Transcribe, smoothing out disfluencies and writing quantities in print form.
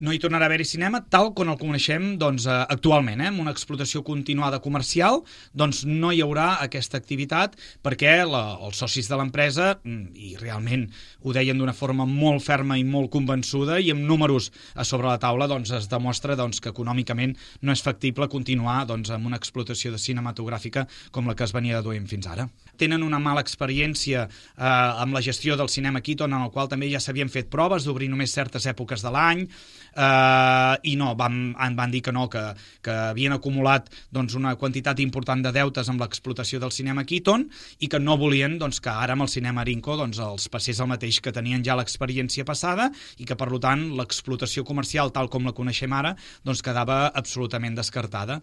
No hi tornarà a haver-hi cinema tal com el coneixem actualment, amb una explotació continuada comercial, doncs no hi haurà aquesta activitat perquè els socis de l'empresa, i realment ho deien d'una forma molt ferma i molt convençuda i amb números a sobre la taula, es demostra que econòmicament no és factible continuar amb una explotació cinematogràfica com la que es venia duent fins ara. Tenen una mala experiència amb la gestió del cinema Keaton, en el qual també ja s'havien fet proves d'obrir només certes èpoques de l'any, i no, van dir que no, que havien acumulat una quantitat important de deutes amb l'explotació del cinema Keaton i que no volien que ara amb el cinema Arinco els passés el mateix, que tenien ja l'experiència passada i que per tant l'explotació comercial tal com la coneixem ara quedava absolutament descartada.